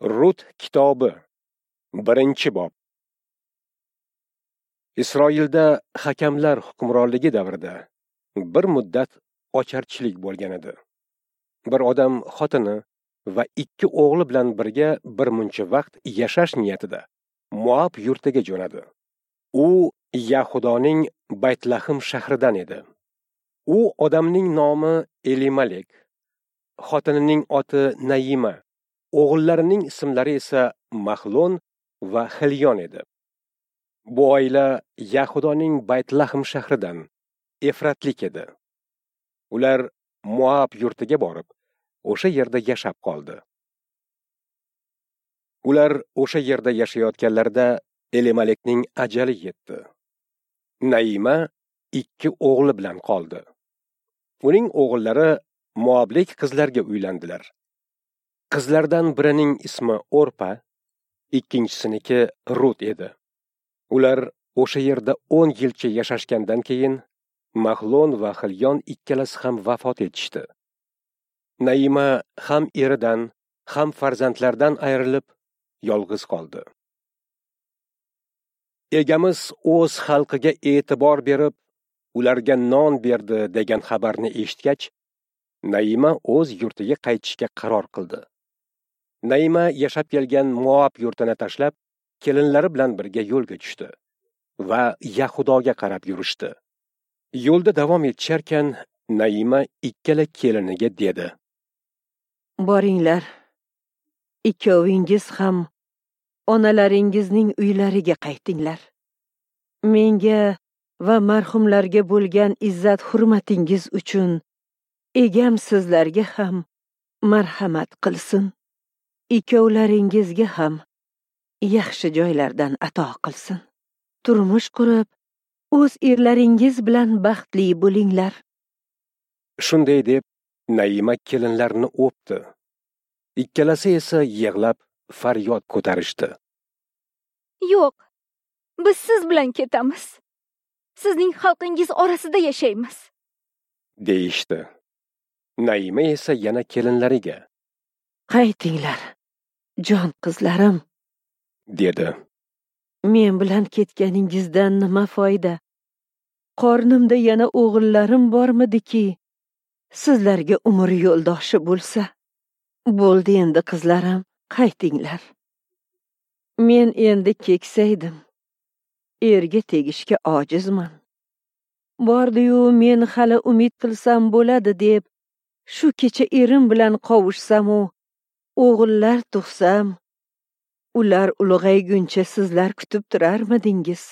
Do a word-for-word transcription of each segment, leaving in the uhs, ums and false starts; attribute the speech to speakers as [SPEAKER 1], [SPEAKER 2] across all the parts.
[SPEAKER 1] Rut kitobi, birinchi bob. Isroilda hakamlar hukmronligi davrida bir muddat ocharchilik bo'lgan edi. Bir odam xotini va ikki o'g'li bilan birga bir muncha vaqt yashash niyatida Moab yurtiga jo'nadi. U Yahudoning Baytlahm shahridan edi. U odamning nomi Elimalek, xotinining oti Naima, o'g'illarining ismlari esa Mahlon va Xilyon edi. Bu oila Yahudoning Baytlahm shahridan Efratlik edi. Ular Moab yurtiga borib, o'sha yerda yashab qoldi. Ular o'sha yerda yashayotganlarida Elimalekning ajali yetdi. Naima ikki o'g'li bilan qoldi. Uning o'g'illari Moablik qizlarga uylandilar. Qizlardan birining ismi Orpa, ikkinchisiniki Rut edi. Ular o'sha yerda o'n yilcha yashashgandan keyin Mahlon va Xilyon ikkalasi ham vafot etishdi. Naima ham eridan, ham farzandlardan ayrilib, yolg'iz qoldi. Egamiz o'z xalqiga e'tibor berib, ularga non berdi degan xabarni eshitgach, Naima o'z yurtiga qaytishga qaror qildi. Naima yashab kelgan Moab yurtini tashlab, kelinlari bilan birga yo'lga tushdi va Yahudoga qarab yurishdi. Yo'lda davom etisharkan, Naima ikkala keliniga dedi:
[SPEAKER 2] Boringlar, ikkovingiz ham onalaringizning uylariga qaytinglar. Menga va marhumlarga bo'lgan izzat hurmatingiz uchun egam sizlarga ham marhamat qilsin. Ikkovlaringizga ham yaxshi joylardan ato qilsin. Turmush qurib, o'z erlaringiz bilan baxtli bo'linglar.
[SPEAKER 1] Shunday deb Naima kelinlarni o'pdi. Ikkalasi esa yig'lab faryod ko'tarishdi.
[SPEAKER 3] Yo'q, biz siz bilan ketamiz. Sizning xalqingiz orasida yashaymiz,
[SPEAKER 1] deyishdi. Naima esa yana kelinlariga:
[SPEAKER 2] Qaytinglar, jon qizlarim,
[SPEAKER 1] dedi.
[SPEAKER 2] Men bilan ketganingizdan nima foyda? Qornimda yana o'g'illarim bormidiki, sizlarga umr yo'ldoshi bo'lsa? Bo'ldi endi qizlarim, qaytinglar. Men endi keksaydim. Erga tegishga ojizman. Bordi-yu men hali umid qilsam bo'ladi deb shu kecha erim bilan qovushsam-u, o'g'illar tug'sam, ular ulg'ayguncha sizlar kutib turarmidingiz?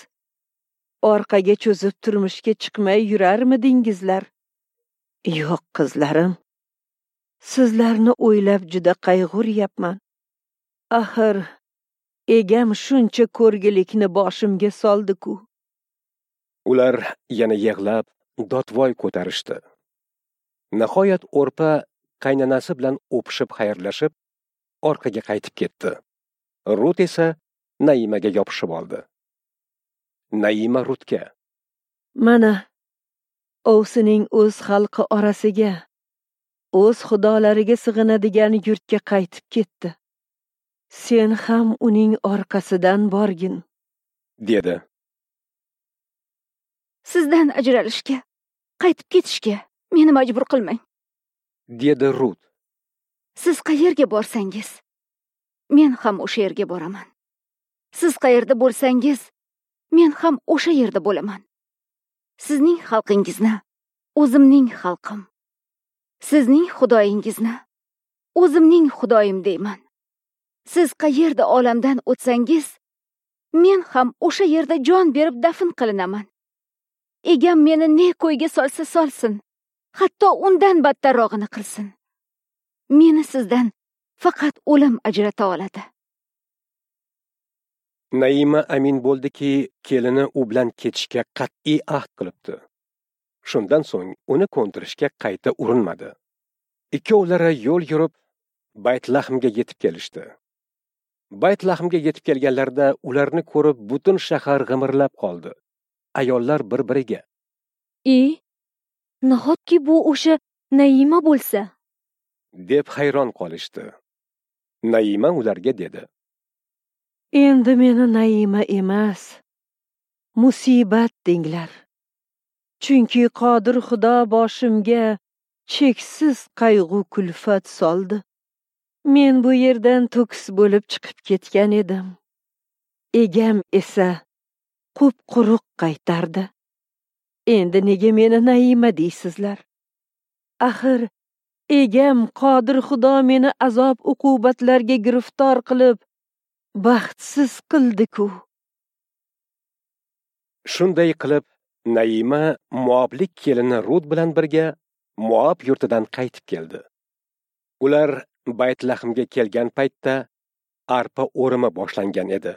[SPEAKER 2] Orqaga cho'zib turmushga chiqmay yurarmidingizlar? Yo'q qizlarim, sizlarni o'ylab juda qayg'uryapman. Axir egam shuncha ko'rgilikni boshimga soldi-ku.
[SPEAKER 1] Ular yana yig'lab dodvoy ko'tarishdi. Nihoyat Orpa qaynonasi bilan o'pishib xayrlashib, orqaga qaytib ketdi. Rut esa Naimaga yopishib oldi. Naima Rutga:
[SPEAKER 2] Mana, ovsining o'z xalqi orasiga, o'z xudolariga sig'inadigan yurtga qaytib ketdi. Sen ham uning orqasidan borgin,
[SPEAKER 1] dedi.
[SPEAKER 3] Sizdan ajralishga, qaytib ketishga meni majbur qilmang,
[SPEAKER 1] dedi Rut.
[SPEAKER 3] Siz qayerga borsangiz, men ham o'sha yerga boraman. Siz qayerda bo'lsangiz, men ham o'sha yerda bo'laman. Sizning xalqingizni o'zimning xalqim, sizning xudoyingizni o'zimning xudoyim deyman. Siz qayerda olamdan o'tsangiz, men ham o'sha yerda jon berib dafn qilinaman. Egam meni ne ko'yga solsa solsin, hatto undan battarrog'ini qilsin. Meni sizdan faqat o'lim ajrata oladi.
[SPEAKER 1] Naima amin bo'ldiki, kelini u bilan ketishga qat'iy ahd qilibdi. Shundan so'ng uni ko'ndirishga qayta urinmadi. Ikkovlari yo'l yurib Baytlahmga yetib kelishdi. Baytlahmga yetib kelganlarida ularni ko'rib butun shahar g'imirlab qoldi. Ayollar bir-biriga:
[SPEAKER 4] "E, nahotki bu o'sha Naima bo'lsa?"
[SPEAKER 1] deb hayron qolishdi. Naima ularga dedi:
[SPEAKER 2] Endi meni Naima emas, musibat denglar. Chunki Qodir Xudo boshimga cheksiz qayg'u kulfat soldi. Men bu yerdan to'kis bo'lib chiqib ketgan edim. Egam esa qup-quruq qaytardi. Endi nega meni Naima deysizlar? Axir egam Qodir Xudo meni azob uqubatlarga giriftor qilib, baxtsiz qildi-ku.
[SPEAKER 1] Shunday qilib Naima Moablik kelini Rut bilan birga Moab yurtidan qaytib keldi. Ular Baytlahmga kelgan paytda arpa o'rimi boshlangan edi.